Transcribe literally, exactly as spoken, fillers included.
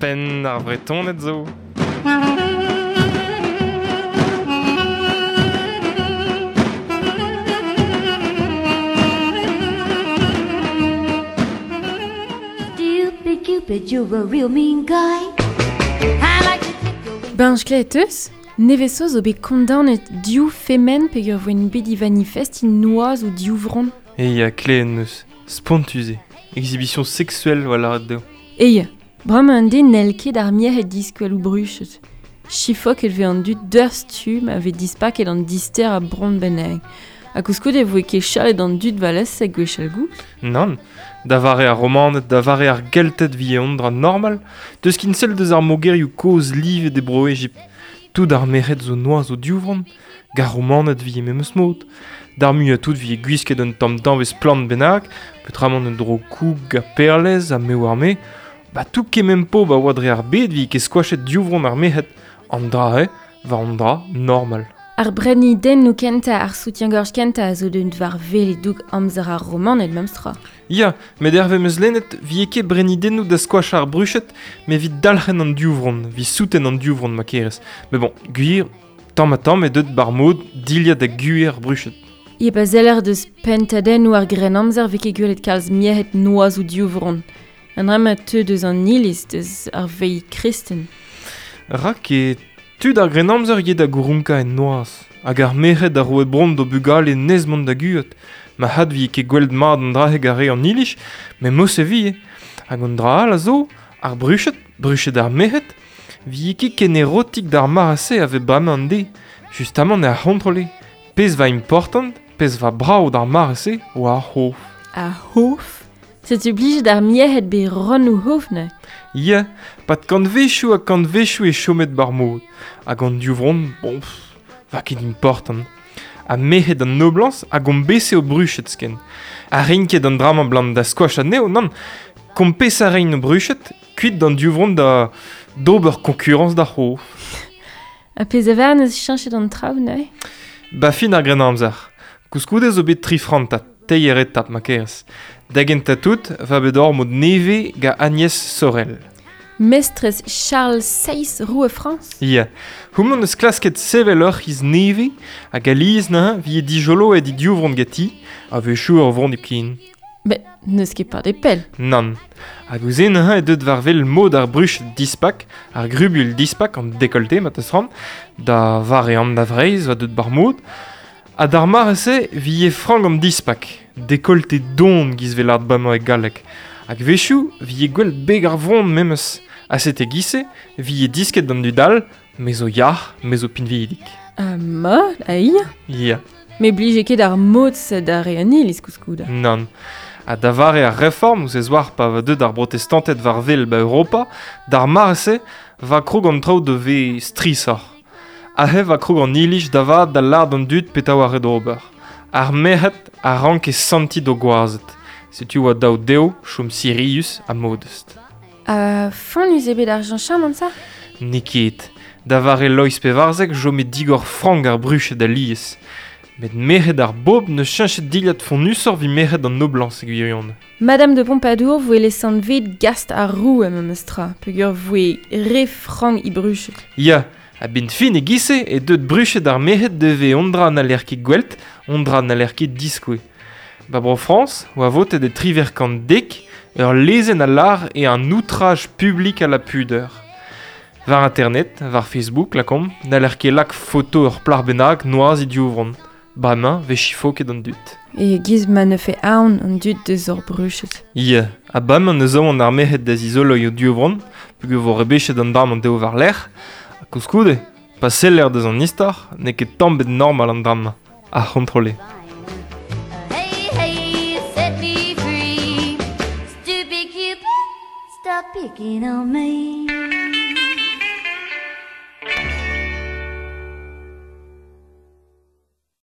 Penn ar Vretoned zo. Stupid Cupid, you're a real mean guy. I like to clip your wings. Ben, je eus, neveso zo bet kondaonet div femen peogwir voent bet i manifestin noazh ou div vron. E ya kleen eus, spontus eo. Exhibition sexuelle oa lâret dezho. E ya, bremañ an den n'hell ket ar merc'hed diskwel ou bruchet. Chifok el vez an dud d'ur stumm a vez dispaket an dister a bron bennak. Ha koulskoude e voe ket chalet an dud valesek gwechall gout. Nann, da vare ar Romaned, da vare ar Gelted vi an dra normal, deus kin sell deus ar mogerioù kozh livet e bro Egipt. Tout ar merc'hed zo noazh o divronn, gar Romaned vi e memes mod. D'ar muiañ tout vi e gwisket un tamm danvez plant bennak, peotramant un dro koug ha perlez ha me oar me. Ba tout kement pobl a oa dre ar bed vi ket skoachet divronn ar merc'hed. An dra eo, war an dra normal. Ar brennidennoù kentañ ar soutien-gorge kentañ a zo deuet war wel e-doug amzer ar Romaned memestra. Ya, met hervez 'm eus lennet vi ket brennidennoù da skoachañ ar bruched, met evit dalc'hen an divronn, evit souten an divronn ma kerez. Met bon, gwir, tamm ha tamm eo deuet bar mod dilhad da guer ar bruched. E pa zeller deus pentadennoù ar grennamzer vez ket gwelet kalz merc'hed noazh ou divronn. An dra ma teu deus an iliz deus ar veilh kristen. Rak e tud ar grennamzer eo da gourunkañ en noazh, hag ar merc'hed a roe bron d'o bugale nes mont da guat. Ma had vi ket gwelet mat an dra-heg ar re an iliz, met mos e vi. Hag an dra all a zo, ar bruched, bruched ar merc'hed, vi ket ken erotik d'ar mare-se a vez bremañ an deiz. Justamant eo ar c'hontrole. Pezh va important, pezh va brav d'ar mare-se oa ar c'hof. Ar c'hof ? Setu blijet ar merc'hed bet ronn o c'hof neuze. Ya, pad kantvechoù ha kantvechoù e chomet bar mod. Hag an divronn, bon, pff, va ket important. Ha merc'hed an noblañs a gompese o bruched ken. Ha reint ket an dra-mañ blam da skoach anezho, nann. Kompes a reint o bruched, kuit d'an divronn da d'ober konkurañs d'ar c'hof. Ha pezh a vern eus cheñchet an traoù neuze ? Ba fin ar grennamzer. Koulskoude zo bet tri frantad, teir etap ma kerez. Da gentañ tout, va bet ur mod nevez gant Agnès Sorel. Mestrez Charles seizh, roue Frañs ? Ya, houmañ neus klasket sevel ur c'hiz nevez hag alies neuze vi e dijoloet he divronn ganti, a-wechoù ur vronn hepken. Met n'eus ket padet pell. Nann. Hag ouzh neuze eo deuet war wel mod ar bruched dispak, ar grubuilh dispak, an décolleté ma teus c'hoant, da vare an da Vreizh va deuet bar mod. Ha d'ar mare-se vi e frank an dispak, décolleté don giz vel ar bremañ e galleg. Hag wechoù vi e gwell beg ar vronn memes. Ha sete giz-se vi e disket d'an dud all, me zo yac'h, me zo pinvidik. Ha mat, a ia ? Ya. Me blije ket ar mod-se da re an iliz koulskoude. Nann. Ha da vare ar reform, ouzh ez oar pa va deuet ar brotestanted war wel ba Europa, d'ar mare-se va krog an traoù da vez strisoc'h. Aze va krog an iliz da vat da lâret an dud petra oa ret ober. Ar merc'hed a ranke sentiñ d'o gwazed. Setu oa daou dezho chom sirius ha modest. Ha fonnus eo bet ar cheñchamant ça ? N'eo ket. Da vare Loeiz Pevarzek chome digor frank ar bruched alies. Met merc'hed ar bobl neus cheñchet dilhad fonnusoc'h evit merc'hed an noblañs e gwirionez. Madame de Pompadour voe lesanvet gast ar roue memestra, peogwir voe re frank he bruched. Ya, a-benn fin e giz-se e deuet bruched ar merc'hed devez on dra n'haller ket gwelt, on dra n'haller ket diskouez. Ba bro Frañs, oa votet e triwec'h kant dek, ur lezenn a lâr e un outrage public à la pudeur. War internet, war Facebook, lakaomp, n'haller ket lak foto ur plac'h bennak noazh he divronn. Bremañ vez chifoket an dud. E giz ma ne fe aon an dud deus ur bruched. Ya, ha bremañ neus aon ar merc'hed da zizoloiñ o divronn, peogwir vo rebechet an dra-mañ dezho war-lerc'h. Ha koulskoude, pa seller deus an istor, n'eo ket tamm bet normal an dra-mañ. Ar c'hontrole. Hey, hey, set me free. Stupid Cupid, stop picking on me.